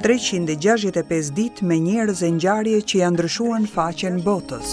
365 ditë me njerëz e ngjarje që ia ndryshuan faqen botës.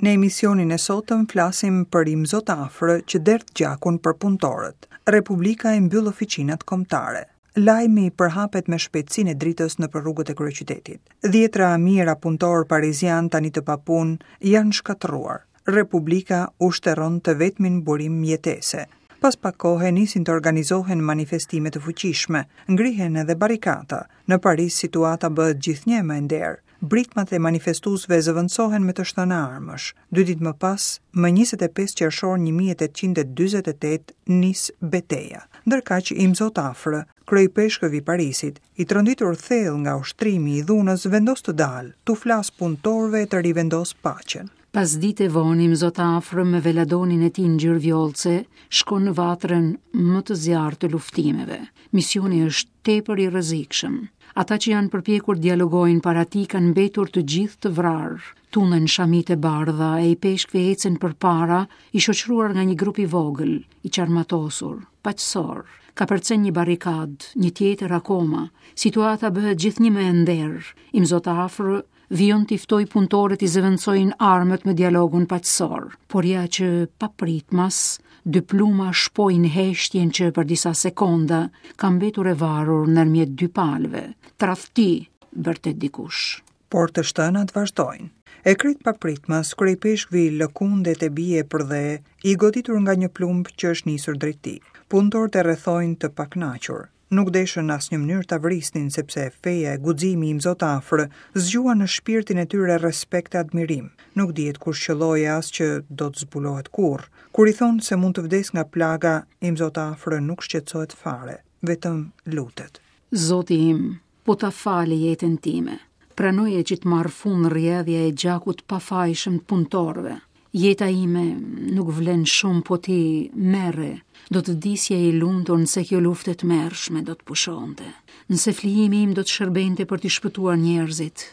Në emisionin e sotëm flasim për Imzot Afrë që derdh gjakun për punëtorët. Republika i mbyll oficinat kombëtare. Lajmi përhapet me shpejtësinë e dritës nëpër rrugët e kryeqytetit. Dhjetra mijëra punëtorë parizianë tani të papunë janë shkatërruar. Republika u shterron të vetmin burim jetese. Pas pak kohe nisin të organizohen manifestime të fuqishme, ngrihen edhe barrikata. Në Paris situata bëhet gjithnjë e më e nderë. Britmat e manifestuesve zëvendësohen me të shtëna armësh. Dy ditë më pas, më 25 qershor 1848, nis beteja. Ndërkaq, Imzot Afrë, kryeipeshkëv i Parisit, i tronditur thellë nga ushtrimi i dhunës, vendos të dalë, t'u flasë punëtorëve e të rivendosë paqen. Pasdite vonë Imzot Afrë me veladonin e tij ngjyrë vjollce shkon në vatrën më të zjarrtë të luftimeve. Misioni është tepër i rrezikshëm. Ata që janë përpjekur të dialogojnë para tij kanë mbetur të gjithë të vrarë. Tunden shamitë e bardha e ipeshkvi ecën përpara, i shoqëruar nga një grup i vogël, i çarmatosur, paqësor. Kapërcen një barrikadë, një tjetër akoma. Situata bëhet gjithnjë më e nderë. Imzot Afrë vijon t'i ftojë punëtorët t'i zëvendësojnë armët me dialogun paqësor. Por ja që papritmas, dy plumba shpojnë heshtjen që për disa sekonda ka mbetur e varur ndërmjet dy palëve. Tradhti, bërtet dikush. Por të shtënat vazhdojnë. E krejt papritmas, kryeipeshkvi lëkundet e bie përdhe, i goditur nga një plumb që është nisur drejt tij. Punëtorët e rrethojnë të pakënaqur. Nuk deshën në asnjë mënyrë ta vrisnin sepse feja e guximi i Imzot Afrë zgjuan në shpirtin e tyre respekt e admirim. Nuk dihet kush qëlloi e as që do të zbulohet kurrë. Kur i thonë se mund të vdesë nga plaga, Imzot Afrë nuk shqetësohet fare, vetëm lutet. Zoti im, po ta fal jetën time. Pranoje që të marrë fund rrjedhja e gjakut të pafajshëm të punëtorëve. Jeta ime nuk vlen shumë, po ti merre. Do të vdisja i lumtur nëse kjo luftë e tmerrshme do të pushonte. Nëse flijimi im do të shërbente për t'i shpëtuar njerëzit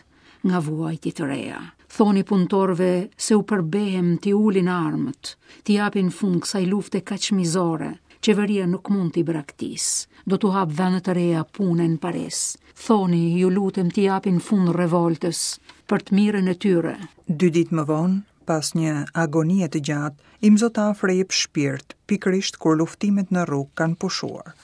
nga vuajtje të reja. Thoni punëtorëve se u përbehem t'i ulin armët, t'i japin fund kësaj lufte kaq mizore. Qeveria nuk mund t'i braktisë. Do t'u hapë vende të reja pune në Paris. Thoni, ju lutem t'i japin fund revoltës për të mirën e tyre. Dy ditë më vonë, pas një agonie të gjatë, Imzot Afrë jep shpirt, pikërisht kur luftimet në rrugë kanë pushuar.